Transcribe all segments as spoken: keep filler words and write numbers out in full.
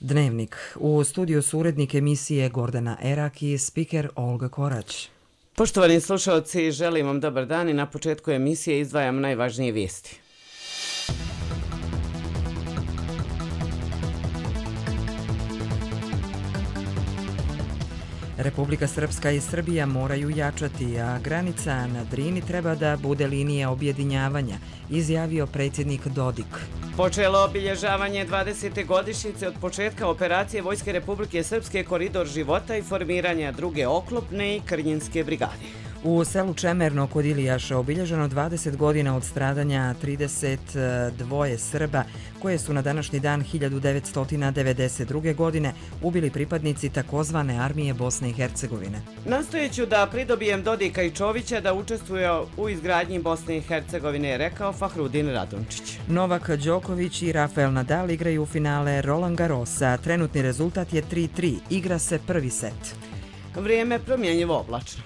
Dnevnik. U studiju su urednik emisije Gordana Erak i spiker Olga Korać. Poštovani slušalci, želim vam dobar dan i na početku emisije izdvajam najvažnije vijesti. Republika Srpska i Srbija moraju jačati, a granica na Drini treba da bude linija objedinjavanja, izjavio predsjednik Dodik. Počelo obilježavanje dvadesete godišnjice od početka operacije Vojske Republike Srpske Koridor života i formiranja druge oklopne i Krnjinske brigade. U selu Čemerno kod Ilijaša obilježeno dvadeset godina od stradanja trideset dva Srba koje su na današnji dan hiljadu devetsto devedeset druge. godine ubili pripadnici takozvane armije Bosne i Hercegovine. Nastojeću da pridobijem Dodika i Čovića da učestvuje u izgradnji Bosne i Hercegovine, je rekao Fahrudin Radončić. Novak Đoković i Rafael Nadal igraju u finale Roland Garrosa. Trenutni rezultat je tri tri. Igra se prvi set. Vrijeme promjenjivo oblačno.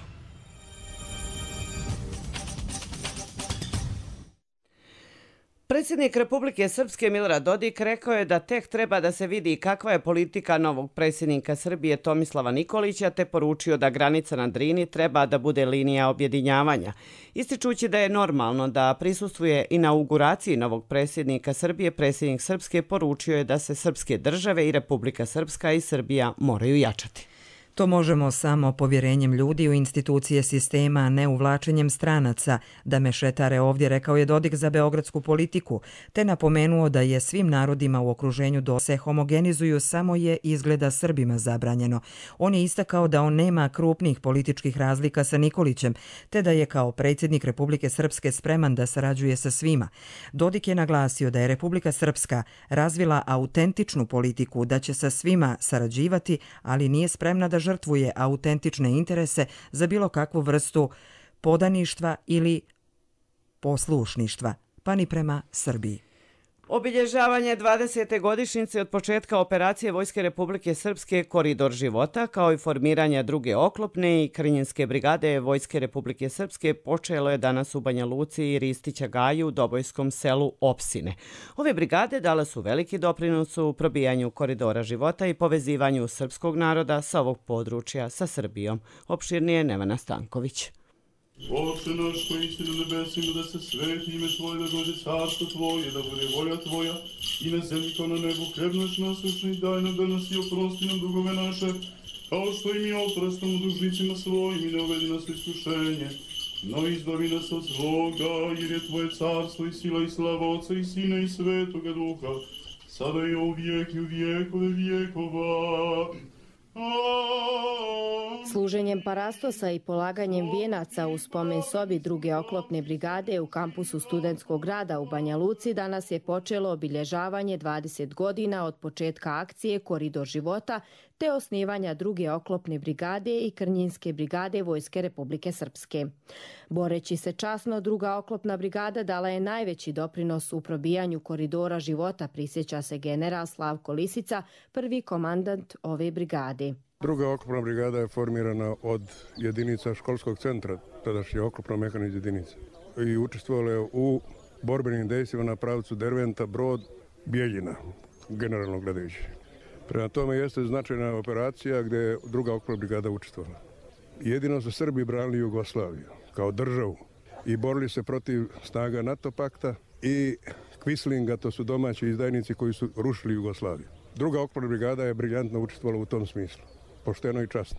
Predsjednik Republike Srpske Milorad Dodik rekao je da tek treba da se vidi kakva je politika novog predsjednika Srbije Tomislava Nikolića, te poručio da granica na Drini treba da bude linija objedinjavanja. Ističući da je normalno da prisustvuje inauguraciji novog predsjednika Srbije, predsjednik Srpske poručio je da se srpske države i Republika Srpska i Srbija moraju jačati. To možemo samo povjerenjem ljudi u institucije sistema, a ne uvlačenjem stranaca, da mešetare ovdje, rekao je Dodik za beogradsku politiku, te napomenuo da je svim narodima u okruženju da se homogenizuju, samo je izgleda Srbima zabranjeno. On je istakao da on nema krupnih političkih razlika sa Nikolićem, te da je kao predsjednik Republike Srpske spreman da sarađuje sa svima. Dodik je naglasio da je Republika Srpska razvila autentičnu politiku, da će sa svima sarađivati, ali nije spremna da žrtvuje autentične interese za bilo kakvu vrstu podaništva ili poslušništva, pa ni prema Srbiji. Obilježavanje dvadesete godišnjice od početka operacije Vojske Republike Srpske Koridor života, kao i formiranja druge oklopne i Krnjinske brigade Vojske Republike Srpske počelo je danas u Banja Luci i Ristića Gaju u Dobojskom selu Opsine. Ove brigade dale su veliki doprinos u probijanju koridora života i povezivanju srpskog naroda sa ovog područja sa Srbijom. Opširnije Nevena Stanković. Oče naš koji si na nebesima, da se sveti ime Tvoje, da dođe carstvo Tvoje, da bude volja Tvoja i na zemlji kao na nebu. Hljeb naš nasvečni daj nam danas i oprosti nam dugove naše, kao što i mi oprostimo dužnicima svojim, i ne uvedi nas u iskušenje, no izbavi nas od zloga, jer je Tvoje carstvo i sila i slava Otca i Sina i Svetoga Duha, sada i u vijek i u vijekove vijekova. Služenjem parastosa i polaganjem vijenaca u spomen sobi druge oklopne brigade u kampusu studentskog grada u Banja Luci danas je počelo obilježavanje dvadeset godina od početka akcije Koridor života te osnivanja druge oklopne brigade i Krnjinske brigade Vojske Republike Srpske. Boreći se časno, druga oklopna brigada dala je najveći doprinos u probijanju koridora života, prisjeća se general Slavko Lisica, prvi komandant ove brigade. Druga oklopna brigada je formirana od jedinica školskog centra, tadašnje oklopno-mehaničke jedinice, i učestvovala je u borbenim dejstvima na pravcu Derventa, Brod, Bijeljina, generalno gledajući. Prema tome jeste značajna operacija gdje je druga oklopna brigada učestvovala. Jedino su Srbi branili Jugoslaviju kao državu i borili se protiv snaga NATO pakta i Kvislinga, to su domaći izdajnici koji su rušili Jugoslaviju. Druga oklopna brigada je briljantno učestvovala u tom smislu, pošteno i časno.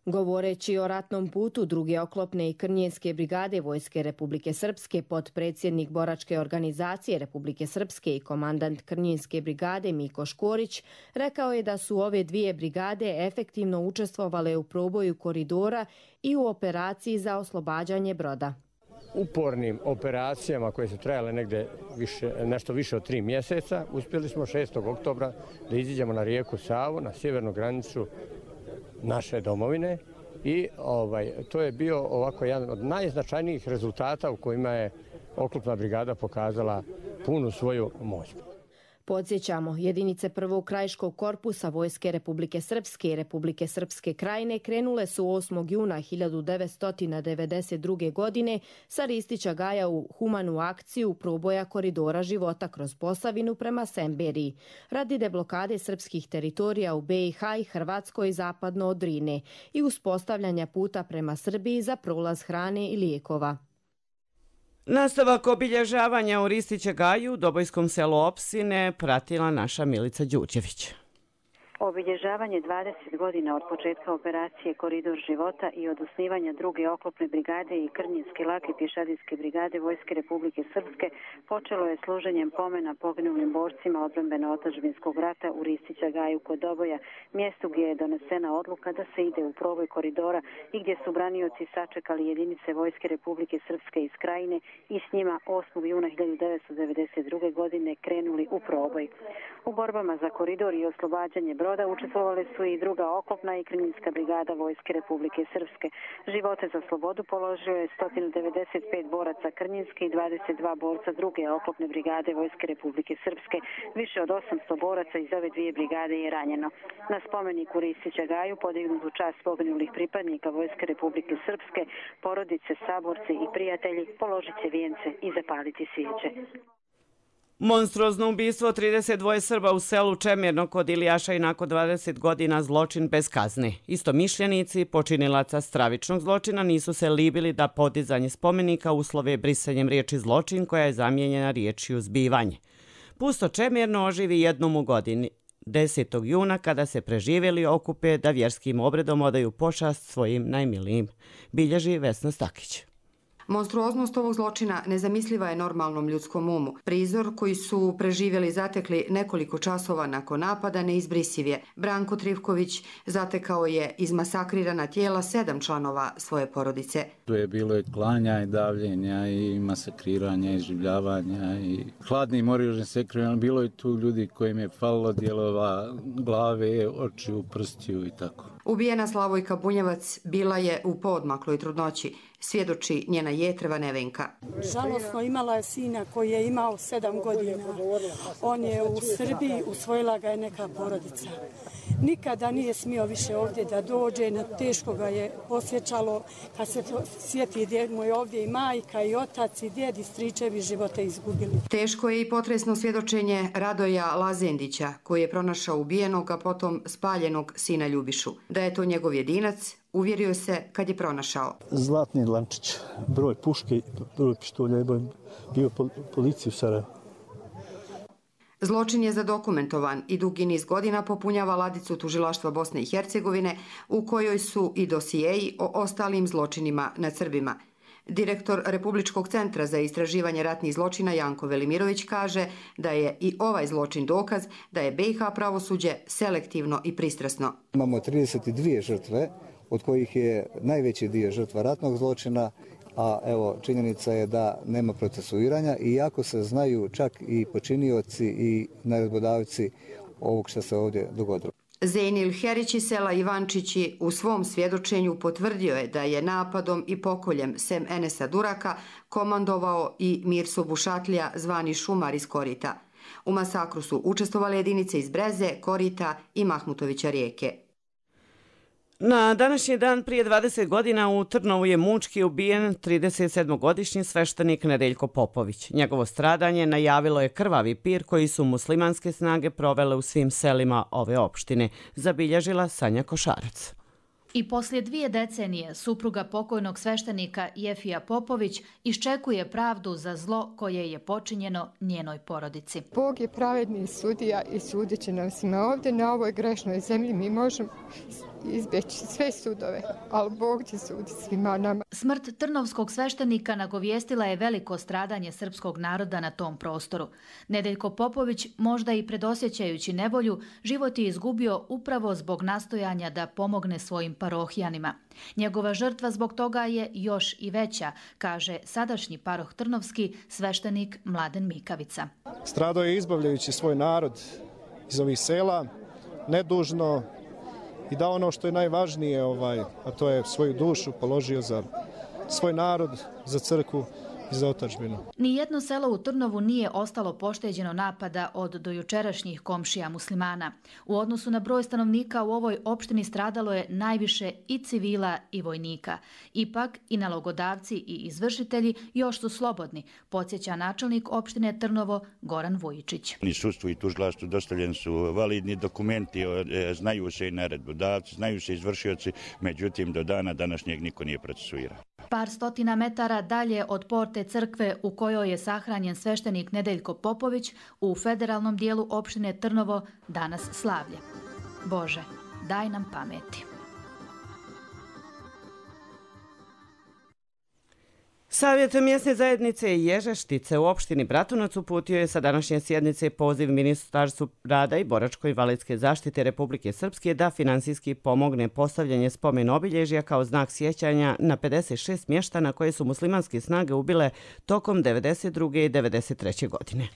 Govoreći o ratnom putu druge oklopne i Krnjinske brigade Vojske Republike Srpske, potpredsjednik boračke organizacije Republike Srpske i komandant Krnjinske brigade Miko Škorić rekao je da su ove dvije brigade efektivno učestvovale u proboju koridora i u operaciji za oslobađanje Broda. Upornim operacijama koje su trajale negde više, nešto više od tri mjeseca, uspjeli smo šestog oktobra da iziđemo na rijeku Savu, na sjevernu granicu naše domovine, i ovaj, to je bio ovako jedan od najznačajnijih rezultata u kojima je oklopna brigada pokazala punu svoju moć. Podsjećamo, jedinice prvog krajiškog korpusa Vojske Republike Srpske i Republike Srpske Krajine krenule su osmog juna hiljadu devetsto devedeset druge. godine sa Ristića Gaja u humanu akciju proboja koridora života kroz Posavinu prema Semberiji, radi deblokade srpskih teritorija u B i H i Hrvatskoj zapadno od Drine i uspostavljanja puta prema Srbiji za prolaz hrane i lijekova. Nastavak obilježavanja u Ristića Gaju u Dobojskom selu Opsine pratila naša Milica Đurđević. Obilježavanje dvadeset godina od početka operacije Koridor života i od osnivanja druge oklopne brigade i Krnjinske lake pješadijske brigade Vojske Republike Srpske počelo je služenjem pomena poginulim borcima odbrambeno-otadžbinskog rata u Ristića Gaju kod Doboja, mjestu gdje je donesena odluka da se ide u proboj koridora i gdje su branioci sačekali jedinice Vojske Republike Srpske iz Krajine i s njima osmog juna hiljadu devetsto devedeset druge. godine krenuli u proboj. U borbama za koridor i oslobađanje broda učestvovali su i druga oklopna i Krnjinska brigada Vojske Republike Srpske. Živote za slobodu položio je sto devedeset pet boraca Krnjinske i dvadeset dva borca druge oklopne brigade Vojske Republike Srpske. Više od osamsto boraca iz ove dvije brigade je ranjeno. Na spomeniku Ristića Gaju podignutu čast poginulih pripadnika Vojske Republike Srpske, porodice, saborci i prijatelji položit će vijence i zapaliti svijeće. Monstruozno ubistvo trideset dva Srba u selu Čemirno kod Ilijaša i nakon dvadeset godina zločin bez kazne. Istomišljenici počinilaca stravičnog zločina nisu se libili da podizanje spomenika uslove brisanjem riječi zločin koja je zamijenjena riječju zbivanje. Pusto Čemirno oživi jednom u godini, desetog juna, kada se preživjeli okupe da vjerskim obredom odaju pošast svojim najmilijim, bilježi Vesna Stakić. Monstruoznost ovog zločina nezamisliva je normalnom ljudskom umu. Prizor koji su preživjeli zatekli nekoliko časova nakon napada neizbrisiv je. Branko Trivković zatekao je izmasakrirana tijela sedam članova svoje porodice. Tu je bilo i klanja i davljenja i masakriranja i življavanja i hladnim oružjem sekriranja. Bilo je tu ljudi kojim je falilo dijelova glave, očiju, prstiju i tako. Ubijena Slavojka Bunjevac bila je u poodmakloj trudnoći, svjedoči njena jetreva Nevenka. Žalosno, imala je sina koji je imao sedam godina. On je u Srbiji, usvojila ga je neka porodica. Nikada nije smio više ovdje da dođe, teško ga je osjećalo kad se sjeti gdje mu je ovdje i majka i otac i djed i stričevi živote izgubili. Teško je i potresno svjedočenje Radoja Lazendića koji je pronašao ubijenog, a potom spaljenog sina Ljubišu. Da je to njegov jedinac, uvjerio se kad je pronašao. Zlatni lančić, broj puške, broj pištolja, bio policiju u Sarajevu. Zločin je zadokumentovan i dugi niz godina popunjava ladicu tužilaštva Bosne i Hercegovine u kojoj su i dosijeji o ostalim zločinima nad Srbima. Direktor Republičkog centra za istraživanje ratnih zločina Janko Velimirović kaže da je i ovaj zločin dokaz da je B i H pravosuđe selektivno i pristrasno. Imamo trideset dvije žrtve, od kojih je najveći dio žrtva ratnog zločina, a evo činjenica je da nema procesuiranja, iako se znaju čak i počinioci i naredbodavci ovog što se ovdje dogodilo. Zejnil Herić iz sela Ivančići u svom svjedočenju potvrdio je da je napadom i pokoljem sem Enesa Duraka komandovao i Mirso Bušatlija, zvani Šumar iz Korita. U masakru su učestvovale jedinice iz Breze, Korita i Mahmutovića rijeke. Na današnji dan prije dvadeset godina u Trnovu je mučki ubijen tridesetsedmogodišnji sveštenik Nedeljko Popović. Njegovo stradanje najavilo je krvavi pir koji su muslimanske snage provele u svim selima ove opštine, zabilježila Sanja Košarac. I poslije dvije decenije supruga pokojnog sveštenika Jefija Popović iščekuje pravdu za zlo koje je počinjeno njenoj porodici. Bog je pravedni sudija i sudit će nam svima ovdje na ovoj grešnoj zemlji. Mi možemo izbjeći sve sudove, ali Bog će suditi svima nama. Smrt trnovskog sveštenika nagovijestila je veliko stradanje srpskog naroda na tom prostoru. Nedeljko Popović, možda i predosjećajući nevolju, život je izgubio upravo zbog nastojanja da pomogne svojim parohijanima. Njegova žrtva zbog toga je još i veća, kaže sadašnji paroh trnovski sveštenik Mladen Mikavica. Stradao je izbavljajući svoj narod iz ovih sela, nedužno, i da ono što je najvažnije, ovaj, a to je svoju dušu položio za svoj narod, za crkvu i za otadžbinu. Nijedno selo u Trnovu nije ostalo pošteđeno napada od dojučerašnjih komšija muslimana. U odnosu na broj stanovnika u ovoj opštini stradalo je najviše i civila i vojnika. Ipak i nalogodavci i izvršitelji još su slobodni, podsjeća načelnik opštine Trnovo Goran Vujičić. Ni sudstvu i tužilaštvu dostavljeni su validni dokumenti, znaju se i naredbodavci, znaju se izvršioci, međutim do dana današnjeg niko nije procesuiran. Par stotina metara dalje od porte crkve u kojoj je sahranjen sveštenik Nedeljko Popović, u federalnom dijelu opštine Trnovo danas slavlje. Bože, daj nam pameti. Savjet mjesne zajednice Ježeštice u opštini Bratunac uputio je sa današnje sjednice poziv Ministarstvu rada i boračko-invalidske zaštite Republike Srpske da finansijski pomogne postavljanje spomen obilježja kao znak sjećanja na pedeset šest mještana koje su muslimanske snage ubile tokom devedeset druge i devedeset treće godine.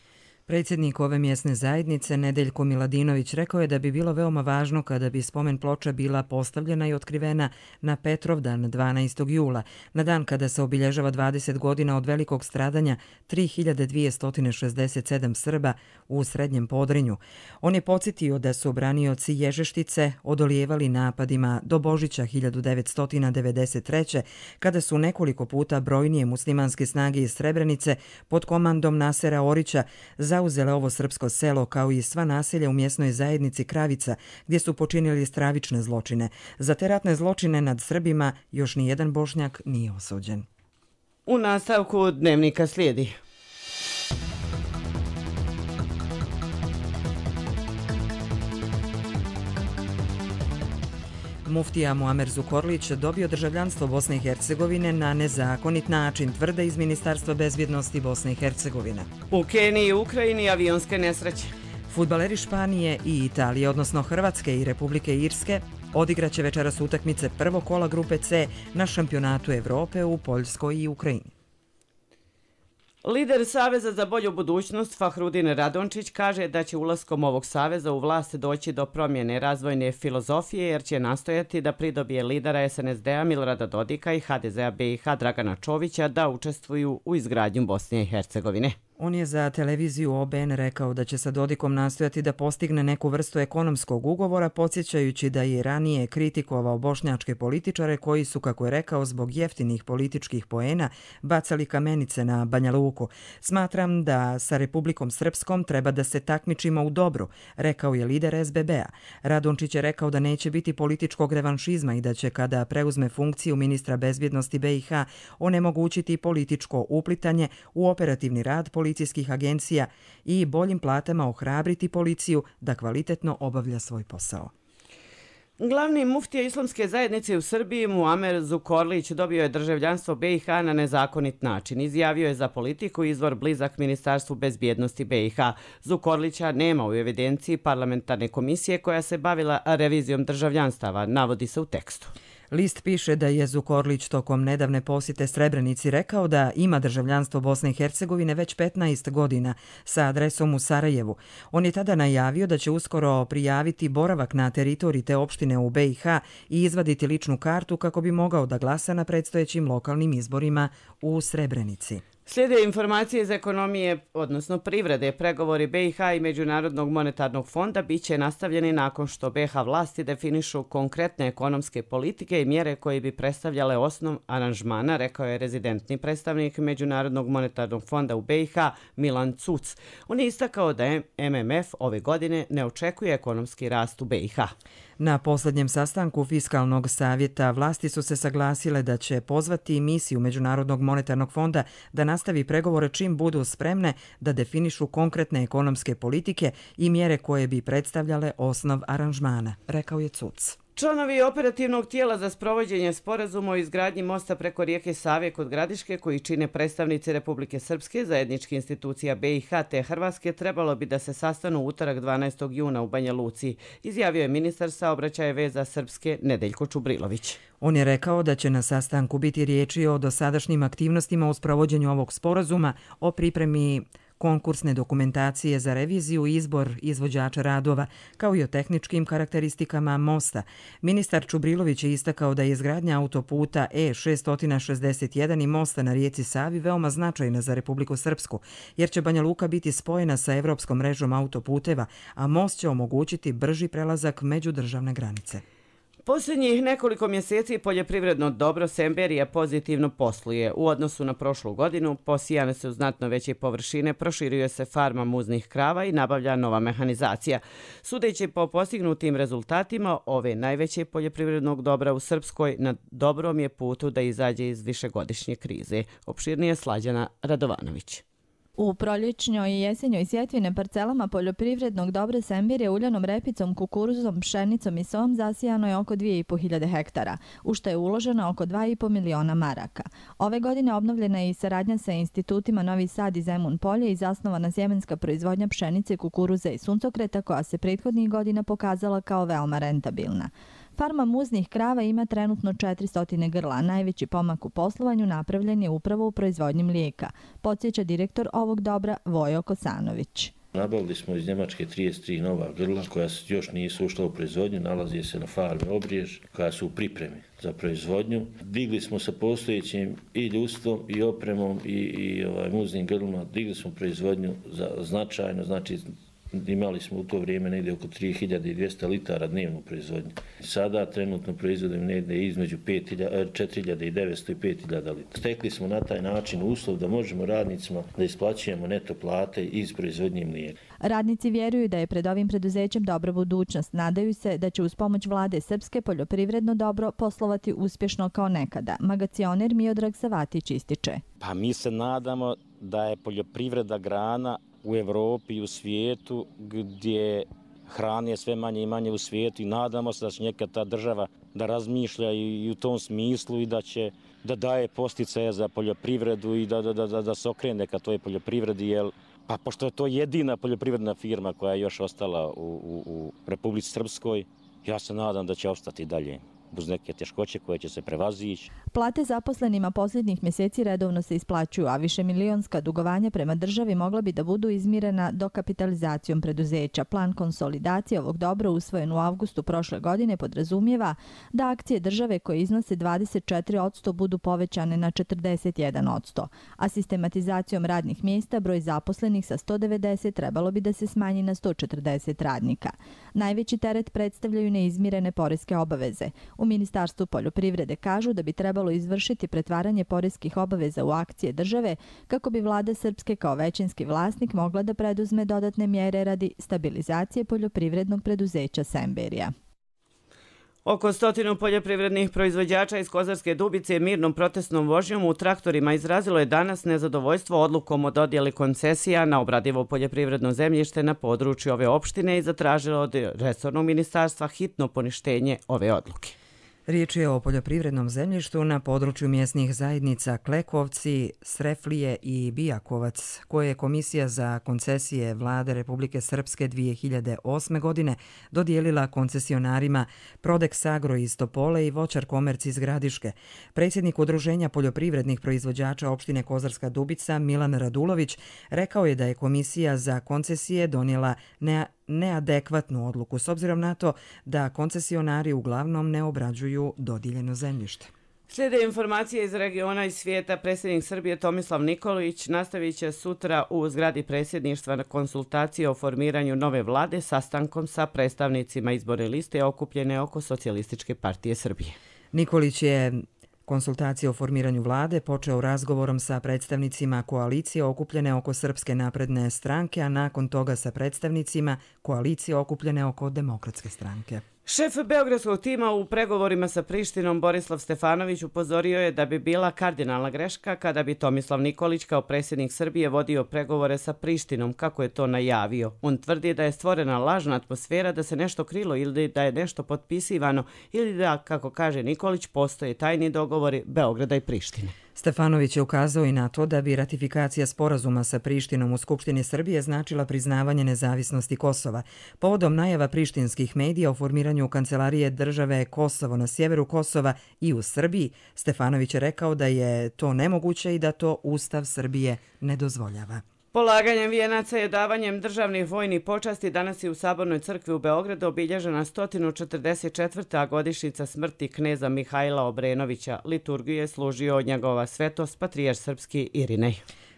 Predsjednik ove mjesne zajednice Nedeljko Miladinović rekao je da bi bilo veoma važno kada bi spomen ploča bila postavljena i otkrivena na Petrovdan dvanaestog jula, na dan kada se obilježava dvadeset godina od velikog stradanja tri hiljade dvjesto šezdeset sedam Srba u Srednjem Podrinju. On je podsjetio da su branioci Ježeštice odolijevali napadima do Božića hiljadu devetsto devedeset treće kada su nekoliko puta brojnije muslimanske snage iz Srebrenice pod komandom Nasera Orića zauzele ovo srpsko selo kao i sva naselja u mjesnoj zajednici Kravica gdje su počinili stravične zločine. Za te ratne zločine nad Srbima još ni jedan Bošnjak nije osuđen. U nastavku dnevnika slijedi. Muftija Muamer Zukorlić dobio državljanstvo Bosne i Hercegovine na nezakonit način, tvrde iz Ministarstva bezbjednosti Bosne i Hercegovine. U Keniji i Ukrajini avionske nesreće. Fudbaleri Španije i Italije, odnosno Hrvatske i Republike Irske, odigraće večeras utakmice prvog kola grupe C na šampionatu Evrope u Poljskoj i Ukrajini. Lider Saveza za bolju budućnost Fahrudin Radončić kaže da će ulaskom ovog saveza u vlast doći do promjene razvojne filozofije jer će nastojati da pridobije lidera S N S D-a Milorada Dodika i H D Z-a B i H Dragana Čovića da učestvuju u izgradnju Bosne i Hercegovine. On je za televiziju O B N rekao da će sa Dodikom nastojati da postigne neku vrstu ekonomskog ugovora, podsjećajući da je ranije kritikovao bošnjačke političare koji su, kako je rekao, zbog jeftinih političkih poena bacali kamenice na Banja Luku. Smatram da sa Republikom Srpskom treba da se takmičimo u dobru, rekao je lider S B B-a. Radončić je rekao da neće biti političkog revanšizma i da će kada preuzme funkciju ministra bezbjednosti B i H onemogućiti političko uplitanje u operativni rad policijskih policijskih agencija i boljim platama ohrabriti policiju da kvalitetno obavlja svoj posao. Glavni muftija islamske zajednice u Srbiji Muamer Zukorlić dobio je državljanstvo B i H na nezakonit način. Izjavio je za Politiku izvor blizak Ministarstvu bezbjednosti B i H. Zukorlića nema u evidenciji parlamentarne komisije koja se bavila revizijom državljanstava, navodi se u tekstu. List piše da je Zukorlić tokom nedavne posjete Srebrenici rekao da ima državljanstvo Bosne i Hercegovine već petnaest godina sa adresom u Sarajevu. On je tada najavio da će uskoro prijaviti boravak na teritoriji te opštine u B i H i izvaditi ličnu kartu kako bi mogao da glasa na predstojećim lokalnim izborima u Srebrenici. Slijede informacije iz ekonomije, odnosno privrede. Pregovori B i H i Međunarodnog monetarnog fonda bit će nastavljeni nakon što B i H vlasti definišu konkretne ekonomske politike i mjere koje bi predstavljale osnov aranžmana, rekao je rezidentni predstavnik Međunarodnog monetarnog fonda u B i H Milan Cuc. On je istakao da M M F ove godine ne očekuje ekonomski rast u B i H. Na posljednjem sastanku Fiskalnog savjeta vlasti su se saglasile da će pozvati misiju Međunarodnog monetarnog fonda da nastavi pregovore čim budu spremne da definišu konkretne ekonomske politike i mjere koje bi predstavljale osnov aranžmana, rekao je Cuc. Članovi operativnog tijela za sprovođenje sporazuma o izgradnji mosta preko rijeke Save kod Gradiške, koji čine predstavnici Republike Srpske, zajedničkih institucija B i H te Hrvatske, trebalo bi da se sastanu u utorak dvanaestog juna u Banja Luci, izjavio je ministar saobraćaja i veza Srpske Nedeljko Čubrilović. On je rekao da će na sastanku biti riječi o dosadašnjim aktivnostima u sprovođenju ovog sporazuma, o pripremi konkursne dokumentacije za reviziju i izbor izvođača radova, kao i o tehničkim karakteristikama mosta. Ministar Čubrilović je istakao da je izgradnja autoputa E šest šezdeset jedan i mosta na rijeci Savi veoma značajna za Republiku Srpsku, jer će Banja Luka biti spojena sa evropskom mrežom autoputeva, a most će omogućiti brži prelazak međudržavne granice. Posljednjih nekoliko mjeseci poljoprivredno dobro Semberija pozitivno posluje. U odnosu na prošlu godinu posijane su znatno veće površine, proširuje se farma muznih krava i nabavlja nova mehanizacija. Sudeći po postignutim rezultatima, ove najveće poljoprivrednog dobra u Srpskoj na dobrom je putu da izađe iz višegodišnje krize. Opširnije Slađana Radovanović. U proljećnjoj i jesenjoj sjetvi na parcelama poljoprivrednog dobra Semberije uljanom repicom, kukuruzom, pšenicom i som zasijano je oko dvije i po hiljade hektara, u što je uloženo oko dva i po miliona maraka. Ove godine obnovljena je i saradnja sa institutima Novi Sad i Zemun Polje i zasnovana sjemenska proizvodnja pšenice, kukuruza i suncokreta koja se prethodnih godina pokazala kao veoma rentabilna. Farma muznih krava ima trenutno četiristo grla. Najveći pomak u poslovanju napravljen je upravo u proizvodnji mlijeka, podsjeća direktor ovog dobra Vojo Kosanović. Nabavili smo iz Njemačke trideset tri nova grla koja još nisu ušla u proizvodnju, nalazi se na farmi Obrijež, koja su u pripremi za proizvodnju. Digli smo sa postojećim i ljudstvom i opremom i, i ovaj, muznim grlima, digli smo proizvodnju za značajno, znači imali smo u to vrijeme negdje oko tri hiljade dvjesto litara dnevnu proizvodnju. Sada trenutno proizvodimo negdje između četiri hiljade devetsto i pet hiljada litara. Stekli smo na taj način uslov da možemo radnicima da isplaćujemo neto plate iz proizvodnje mlijeka. Radnici vjeruju da je pred ovim preduzećem dobra budućnost. Nadaju se da će uz pomoć vlade Srpske poljoprivredno dobro poslovati uspješno kao nekada. Magacioner Miodrag Savatić ističe. Pa mi se nadamo da je poljoprivreda grana u Evropi i u svijetu gdje hrane sve manje i manje u svijetu i nadamo se da će neka ta država da razmišlja i u tom smislu i da će da daje posticaje za poljoprivredu i da, da, da, da se okrene ka toj poljoprivredi, jer pa pošto je to jedina poljoprivredna firma koja je još ostala u, u, u Republici Srpskoj, ja se nadam da će ostati dalje uz neke teškoće koje će se prevazići. Plate zaposlenima posljednjih mjeseci redovno se isplaćuju, a više milionska dugovanja prema državi mogla bi da budu izmirena dokapitalizacijom preduzeća. Plan konsolidacije ovog dobra usvojen u avgustu prošle godine podrazumijeva da akcije države koje iznose dvadeset četiri posto budu povećane na četrdeset jedan posto, a sistematizacijom radnih mjesta broj zaposlenih sa sto devedeset trebalo bi da se smanji na sto četrdeset radnika. Najveći teret predstavljaju neizmirene poreske obaveze. U Ministarstvu poljoprivrede kažu da bi trebalo izvršiti pretvaranje poreskih obaveza u akcije države kako bi vlada Srpske kao većinski vlasnik mogla da preduzme dodatne mjere radi stabilizacije poljoprivrednog preduzeća Semberija. Oko stotinu poljoprivrednih proizvođača iz Kozarske Dubice mirnom protestnom vožnjom u traktorima izrazilo je danas nezadovoljstvo odlukom o dodjeli koncesija na obradivo poljoprivredno zemljište na području ove opštine i zatražilo od resornog ministarstva hitno poništenje ove odluke. Riječ je o poljoprivrednom zemljištu na području mjesnih zajednica Klekovci, Sreflije i Bijakovac, koje je Komisija za koncesije Vlade Republike Srpske dvije hiljade osme. godine dodijelila koncesionarima Prodex Agro iz Topole i Voćar Komerc iz Gradiške. Predsjednik Udruženja poljoprivrednih proizvođača opštine Kozarska Dubica Milan Radulović rekao je da je Komisija za koncesije donijela ne neadekvatnu odluku s obzirom na to da koncesionari uglavnom ne obrađuju dodijeljeno zemljište. Slijede informacije iz regiona i svijeta. Predsjednik Srbije Tomislav Nikolić nastavit će sutra u zgradi predsjedništva na konsultacije o formiranju nove vlade sastankom sa predstavnicima izborne liste okupljene oko Socijalističke partije Srbije. Nikolić je konsultacije o formiranju vlade počeo razgovorom sa predstavnicima koalicije okupljene oko Srpske napredne stranke, a nakon toga sa predstavnicima koalicije okupljene oko Demokratske stranke. Šef beogradskog tima u pregovorima sa Prištinom Borislav Stefanović upozorio je da bi bila kardinalna greška kada bi Tomislav Nikolić kao predsjednik Srbije vodio pregovore sa Prištinom, kako je to najavio. On tvrdi da je stvorena lažna atmosfera, da se nešto krilo ili da je nešto potpisivano ili da, kako kaže Nikolić, postoje tajni dogovori Beograda i Prištine. Stefanović je ukazao i na to da bi ratifikacija sporazuma sa Prištinom u Skupštini Srbije značila priznavanje nezavisnosti Kosova. Povodom najava prištinskih medija o formiranju kancelarije države Kosovo na sjeveru Kosova i u Srbiji, Stefanović je rekao da je to nemoguće i da to Ustav Srbije ne dozvoljava. Polaganjem vijenaca i davanjem državnih vojnih počasti danas je u Sabornoj crkvi u Beogradu obilježena sto četrdeset četvrta godišnjica smrti kneza Mihajla Obrenovića. Liturgiju je služio od njegova svetost patrijarh srpski Irinej.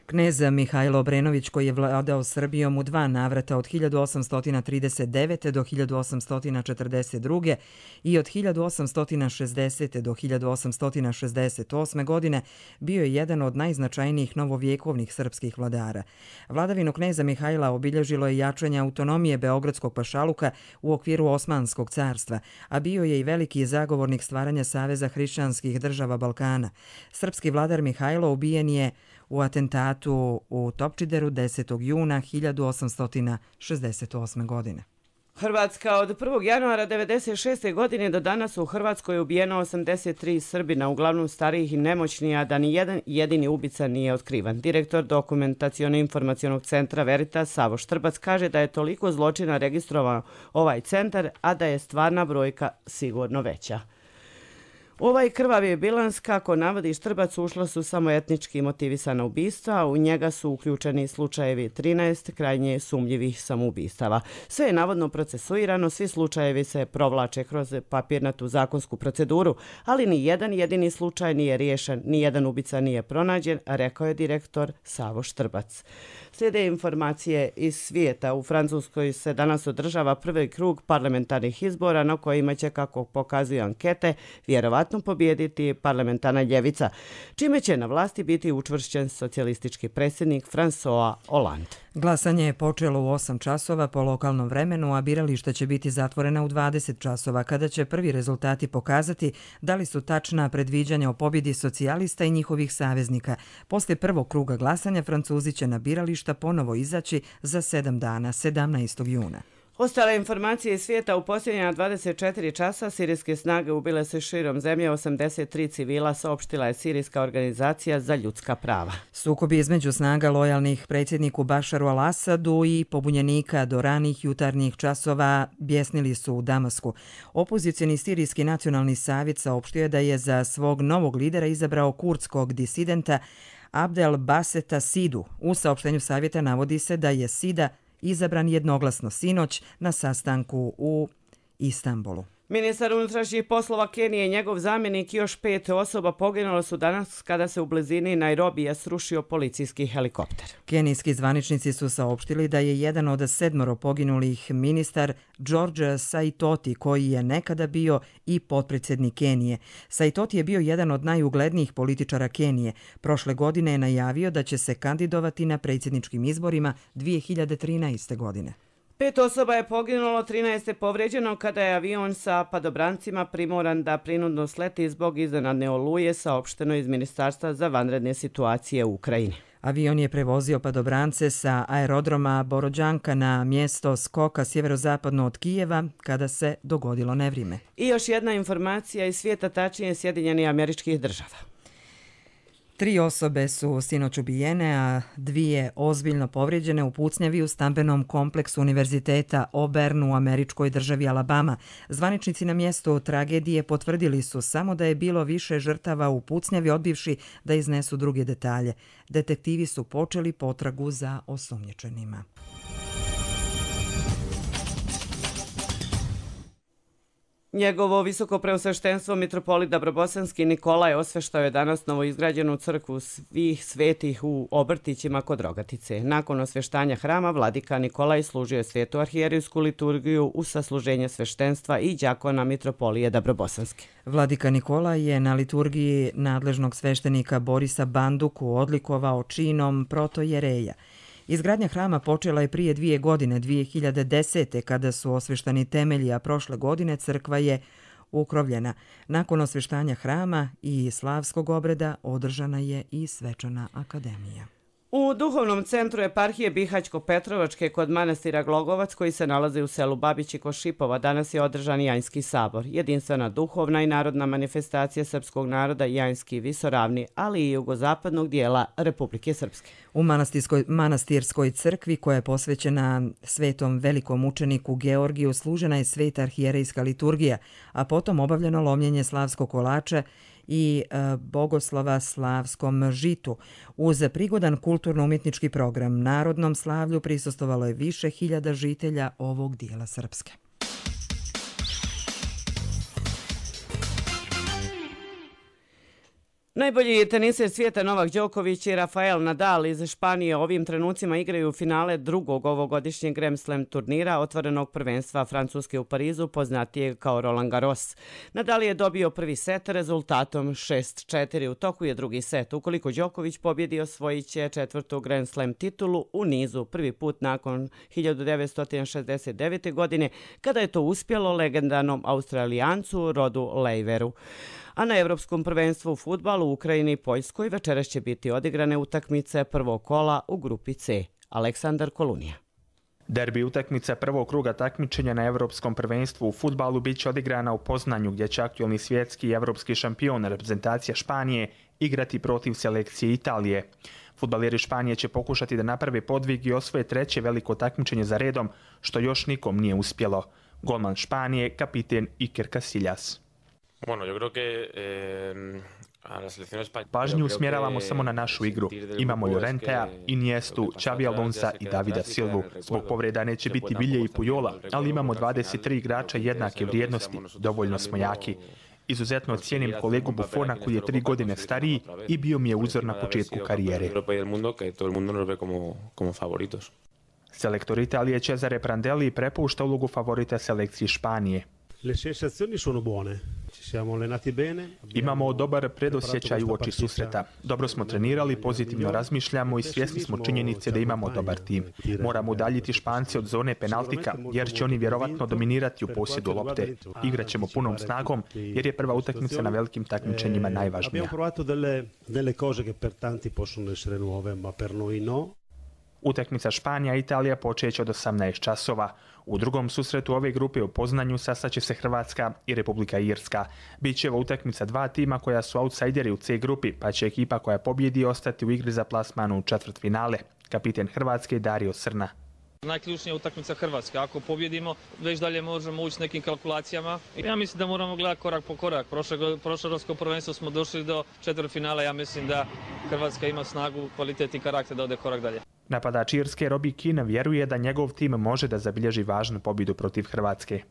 Knez Mihajlo Obrenović, koji je vladao Srbijom u dva navrata od hiljadu osamsto trideset devete. do hiljadu osamsto četrdeset druge. i od hiljadu osamsto šezdesete. do hiljadu osamsto šezdeset osme. godine, bio je jedan od najznačajnijih novovjekovnih srpskih vladara. Vladavinu kneza Mihajla obilježilo je jačanje autonomije Beogradskog pašaluka u okviru Osmanskog carstva, a bio je i veliki zagovornik stvaranja Saveza hrišćanskih država Balkana. Srpski vladar Mihajlo ubijen je u atentatu u Topčideru desetog juna hiljadu osamsto šezdeset osme. godine. Hrvatska od prvog januara devedeset šeste. godine do danas u Hrvatskoj je ubijeno osamdeset tri Srbina, uglavnom starijih i nemoćnih, a da ni jedan jedini ubica nije otkrivan. Direktor Dokumentaciono-informacionog centra Veritas Savo Štrbac kaže da je toliko zločina registrovano ovaj centar, a da je stvarna brojka sigurno veća. Ovaj krvavi bilans, kako navodi Štrbac, ušlo su samo etnički motivisana ubistva, a u njega su uključeni slučajevi trinaest krajnje sumnjivih samoubistava. Sve je navodno procesuirano, svi slučajevi se provlače kroz papirnatu zakonsku proceduru, ali ni jedan jedini slučaj nije riješen, ni jedan ubica nije pronađen, rekao je direktor Savo Štrbac. Slijede informacije iz svijeta. U Francuskoj se danas održava prvi krug parlamentarnih izbora na kojima će, kako pokazuju ankete, vjerovatno pobijediti parlamentarna ljevica, čime će na vlasti biti učvršćen socijalistički predsjednik François Hollande. Glasanje je počelo u osam časova po lokalnom vremenu, a birališta će biti zatvorena u dvadeset časova, kada će prvi rezultati pokazati da li su tačna predviđanja o pobjedi socijalista i njihovih saveznika. Poslije prvog kruga glasanja Francuzi će na birališta ponovo izaći za sedam dana, sedamnaestog juna. Ostale informacije iz svijeta: u posljednja dvadeset četiri časa sirijske snage ubile su širom zemlje osamdeset tri civila, saopštila je Sirijska organizacija za ljudska prava. Sukobi između snaga lojalnih predsjedniku Bašaru al-Asadu i pobunjenika do ranih jutarnjih časova bjesnili su u Damasku. Opozicijni Sirijski nacionalni savjet saopštio je da je za svog novog lidera izabrao kurdskog disidenta Abdel Baseta Sidu. U saopštenju savjeta navodi se da je Sida izabran jednoglasno sinoć na sastanku u Istanbulu. Ministar unutrašnjih poslova Kenije i njegov zamjenik i još pet osoba poginulo su danas kada se u blizini Nairobija srušio policijski helikopter. Kenijski zvaničnici su saopštili da je jedan od sedmoro poginulih ministar George Saitoti, koji je nekada bio i potpredsjednik Kenije. Saitoti je bio jedan od najuglednijih političara Kenije. Prošle godine je najavio da će se kandidovati na predsjedničkim izborima dvije hiljade trinaeste. godine. Pet osoba je poginulo, trinaest je povrijeđeno kada je avion sa padobrancima primoran da prinudno sleti zbog iznenadne oluje, saopšteno iz Ministarstva za vanredne situacije u Ukrajini. Avion je prevozio padobrance sa aerodroma Borodjanka na mjesto skoka sjeverozapadno od Kijeva kada se dogodilo nevrijeme. I još jedna informacija iz svijeta, tačnije Sjedinjenih Američkih Država. Tri osobe su sinoć ubijene, a dvije ozbiljno povrijeđene u pucnjavi u stambenom kompleksu Univerziteta Auburn u američkoj državi Alabama. Zvaničnici na mjestu tragedije potvrdili su samo da je bilo više žrtava u pucnjavi, odbivši da iznesu druge detalje. Detektivi su počeli potragu za osumnjičenima. Njegovo visoko preosveštenstvo mitropolit Dabrobosanski Nikolaj osveštao je danas novoizgrađenu crkvu svih svetih u Obrtićima kod Rogatice. Nakon osveštanja hrama, vladika Nikolaj služio je svetu arhijerijsku liturgiju u sasluženje sveštenstva i đakona mitropolije Dabrobosanski. Vladika Nikolaj je na liturgiji nadležnog sveštenika Borisa Banduku odlikovao činom protojereja. Izgradnja hrama počela je prije dvije godine, dvije hiljade desete. kada su osveštani temelji, a prošle godine crkva je ukrovljena. Nakon osveštanja hrama i slavskog obreda održana je i svečana akademija. U duhovnom centru eparhije Bihaćko-Petrovačke kod manastira Glogovac, koji se nalazi u selu Babići kod Šipova, danas je održan Janjski sabor, jedinstvena duhovna i narodna manifestacija srpskog naroda Janjski visoravni, ali i jugozapadnog dijela Republike Srpske. U manastirskoj, manastirskoj crkvi, koja je posvećena svetom velikom učeniku Georgiju, služena je sveta arhijerejska liturgija, a potom obavljeno lomljenje slavskog kolača i Bogoslava Slavskom žitu. Uz prigodan kulturno-umjetnički program Narodnom slavlju prisustvovalo je više hiljada žitelja ovog dijela Srpske. Najbolji teniser svijeta Novak Đoković i Rafael Nadal iz Španije ovim trenucima igraju finale drugog ovogodišnjeg Grand Slam turnira otvorenog prvenstva Francuske u Parizu, poznatijeg kao Roland Garros. Nadal je dobio prvi set rezultatom šest četiri. U toku je drugi set. Ukoliko Đoković pobjedi, osvojit će četvrtu Grand Slam titulu u nizu, prvi put nakon hiljadu devetsto šezdeset devete. godine, kada je to uspjelo legendarnom Australijancu Rodu Laveru. A na Evropskom prvenstvu u fudbalu u Ukrajini i Poljskoj večeras će biti odigrane utakmice prvog kola u grupi C. Aleksandar Kolunija. Derbi utakmica prvog kruga takmičenja na Evropskom prvenstvu u fudbalu bit će odigrana u Poznanju, gdje će aktualni svjetski i evropski šampion reprezentacija Španije igrati protiv selekcije Italije. Fudbaleri Španije će pokušati da naprave podvig i osvoje treće veliko takmičenje za redom, što još nikom nije uspjelo. Golman Španije, kapiten Iker Casillas. Bueno, yo creo que eh, a la selección española Pažnju usmjeravamo samo na našu igru. Imamo Llorentea, Iniestu, Xavi Alonsa i Davida Silvu. Zbog povreda neće biti Vilje i Pujola, ali imamo dvadeset tri igrača jednake vrijednosti. Dovoljno smo jaki. Izuzetno cijenim kolegu Buffona koji je tri godine stariji i bio mi je uzor na početku karijere. Selektor Italije Cesare Prandelli prepušta ulogu favorita selekciji Španije. Le sensazioni sono buone. Ci siamo allenati bene. Imamo dobar predosjećaj u oči susreta. Dobro smo trenirali, pozitivno razmišljamo i svjesni smo činjenice da imamo dobar tim. Moramo udaljiti Špance od zone penaltika, jer će oni vjerovatno dominirati u posjedu lopte. Igraćemo punom snagom, jer je prva utakmica na velikim takmičenjima najvažnija. Abbiamo provato delle, delle cose che per tanti possono essere nuove, ma per noi no. Utakmica Španija i Italija počeće od osamnaest časova. U drugom susretu ove grupe u Poznanju sastaće se Hrvatska i Republika Irska. Biće ovo utakmica dva tima koja su outsideri u C grupi, pa će ekipa koja pobjedi ostati u igri za plasman u četvrtfinale. Kapiten Hrvatske Dario Srna. Najključnija utakmica Hrvatske. Ako pobjedimo, već dalje možemo ući s nekim kalkulacijama. Ja mislim da moramo gledati korak po korak. Prošle, prošle Europsko prvenstvo smo došli do četvrtfinala. Ja mislim da Hrvatska ima snagu, kvalitet i karakter da ode korak dalje. Napadač Irske Robbie Keane vjeruje da njegov tim može da zabilježi važnu pobjedu protiv Hrvatske.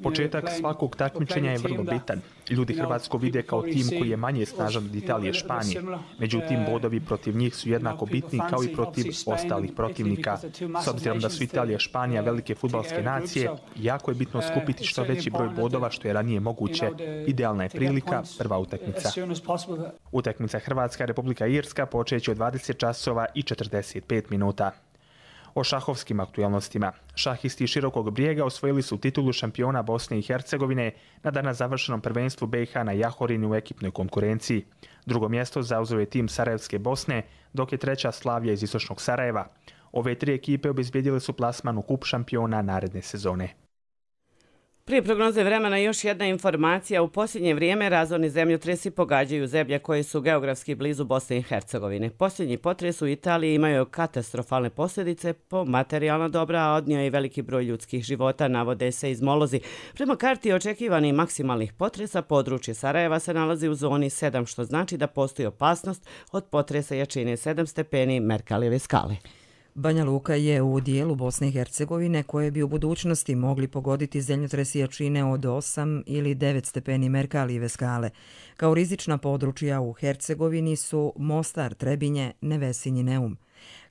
Početak svakog takmičenja je vrlo bitan. Ljudi Hrvatsku vide kao tim koji je manje snažan od Italije i Španije. Međutim, bodovi protiv njih su jednako bitni kao i protiv ostalih protivnika. S obzirom da su Italija i Španija velike fudbalske nacije, jako je bitno skupiti što veći broj bodova što je ranije moguće. Idealna je prilika, prva utakmica. Utakmica Hrvatska Republika Irska počeće u dvadeset časova i četrdeset pet minuta. O šahovskim aktualnostima. Šahisti Širokog Brijega osvojili su titulu šampiona Bosne i Hercegovine na danas završenom prvenstvu B iH na Jahorini u ekipnoj konkurenciji. Drugo mjesto zauzeo je tim Sarajevske Bosne, dok je treća Slavija iz istočnog Sarajeva. Ove tri ekipe obezbijedile su plasman u kup šampiona naredne sezone. Prije prognoze vremena još jedna informacija. U posljednje vrijeme razorni zemljotresi pogađaju zemlje koje su geografski blizu Bosne i Hercegovine. Posljednji potres u Italiji imaju katastrofalne posljedice po materijalna dobra, a odnio je veliki broj ljudskih života, navode se izmolozi. Prema karti očekivanih maksimalnih potresa, područje Sarajeva se nalazi u zoni sedam, što znači da postoji opasnost od potresa jačine sedam stepeni Merkalijeve skale. Banja Luka je u dijelu Bosne i Hercegovine koje bi u budućnosti mogli pogoditi zemljotresi jačine od osam ili devet stepeni Merkalijeve skale. Kao rizična područja u Hercegovini su Mostar, Trebinje, Nevesinj i Neum.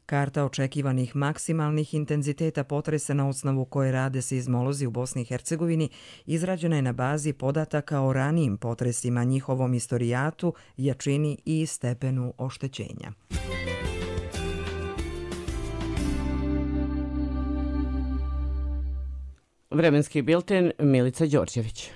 Karta očekivanih maksimalnih intenziteta potresa na osnovu koje rade seizmolozi u Bosni i Hercegovini izrađena je na bazi podataka o ranijim potresima, njihovom istorijatu, jačini i stepenu oštećenja. Vremenski bilten Milica Đorđević.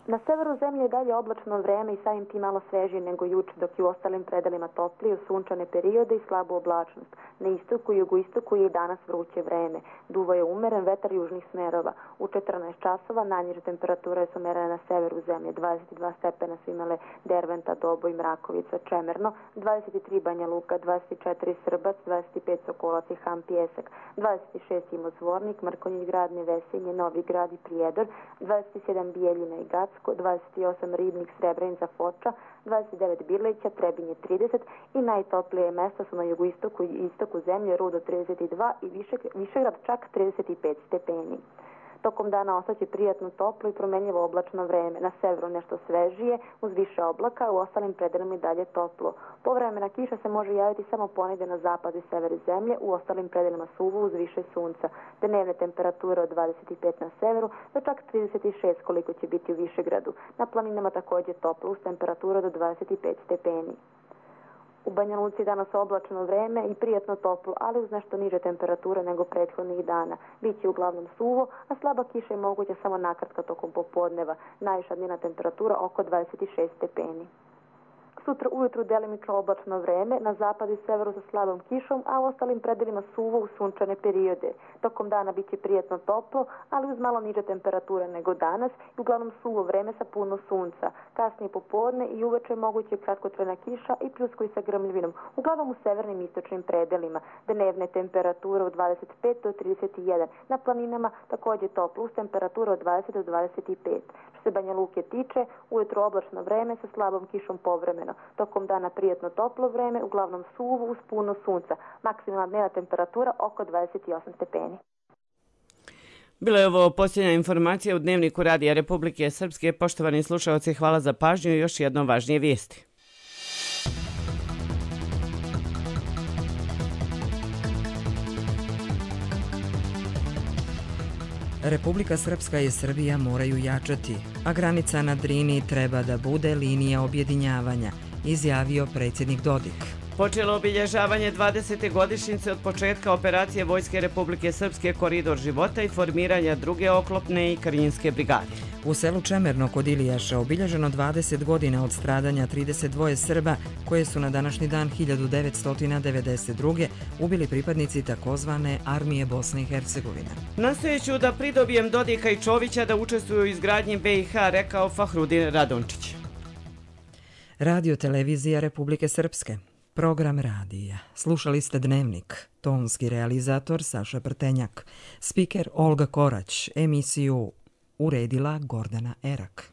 Na severu zemlje je dalje oblačno vreme i samim tim malo svežije nego juče, dok je u ostalim predelima toplije u sunčane periode i slabu oblačnost. Na istoku i jugoistoku je i danas vruće vreme. Duva je umeren vetar južnih smerova. U četrnaest časova najniže temperature su merene na severu zemlje. dvadeset dva stepena su imale Derventa, Doboj, Mrakovica, Čemerno, dvadeset tri Banja Luka, dvadeset četiri Srbac, dvadeset pet Sokolac i Han Pijesak, dvadeset šest Imozvornik, Mrkonjić Grad, Nevesinje, Novi Grad i Prijedor, dvadeset sedam Bijeljina i Gac, dvadeset osam Ribnik, Srebrenica, Foča, dvadeset devet Birlića, Trebinje trideset i najtoplije mjesta su na jugoistoku i istoku zemlje, Rudo trideset dva i Višegrad čak trideset pet stepeni. Tokom dana ostaće prijatno toplo i promenljivo oblačno vreme. Na severu nešto svežije, uz više oblaka, u ostalim predelima i dalje toplo. Povremena kiša se može javiti samo ponegde na zapadu i severu zemlje, u ostalim predelima suvo uz više sunca. Dnevne temperature od dvadeset pet na severu do čak trideset šest koliko će biti u Višegradu. Na planinama također toplo uz temperature do dvadeset pet stepeni. U Banja Luci danas oblačno vreme i prijatno toplo, ali uz nešto niže temperature nego prethodnih dana. Biće uglavnom suvo, a slaba kiša je moguća samo nakratko tokom popodneva. Najviša dnevna temperatura oko dvadeset šest stepeni. Sutra ujutru delimično oblačno vreme, na zapadu i severu sa slabom kišom, a u ostalim predelima suvo u sunčane periode. Tokom dana biće prijatno toplo, ali uz malo niže temperature nego danas i uglavnom suvo vreme sa puno sunca. Kasnije popodne i uveče moguće kratkotrajna kiša i pljuskovi sa grmljavinom, uglavnom u severnim i istočnim predelima. Dnevne temperature od dvadeset pet do trideset jedan. Na planinama također toplo uz temperature od dvadeset do dvadeset pet. Što se Banja Luke tiče, ujutro oblačno vreme sa slabom kišom povremeno. Tokom dana prijatno toplo vreme, uglavnom suvo uz puno sunca. Maksimalna dnevna temperatura oko dvadeset osam stepeni. Bilo je ovo posljednja informacija u Dnevniku Radija Republike Srpske. Poštovani slušalci, hvala za pažnju i još jedno važnije vijesti. Republika Srpska i Srbija moraju jačati, a granica na Drini treba da bude linija objedinjavanja, izjavio predsjednik Dodik. Počelo obilježavanje dvadesete godišnjice od početka operacije Vojske Republike Srpske Koridor života i formiranja druge oklopne i krnjinske brigade. U selu Čemerno kod Ilijaša obilježeno dvadeset godina od stradanja trideset dva Srba koje su na današnji dan hiljadu devetsto devedeset druge ubili pripadnici takozvane Armije Bosne i Hercegovine. Nastojeću da pridobijem Dodika i Čovića da učestvuju u izgradnji B i H, rekao Fahrudin Radončić. Radio televizija Republike Srpske. Program radija. Slušali ste Dnevnik. Tonski realizator Saša Prtenjak. Spiker Olga Korać. Emisiju uredila Gordana Erak.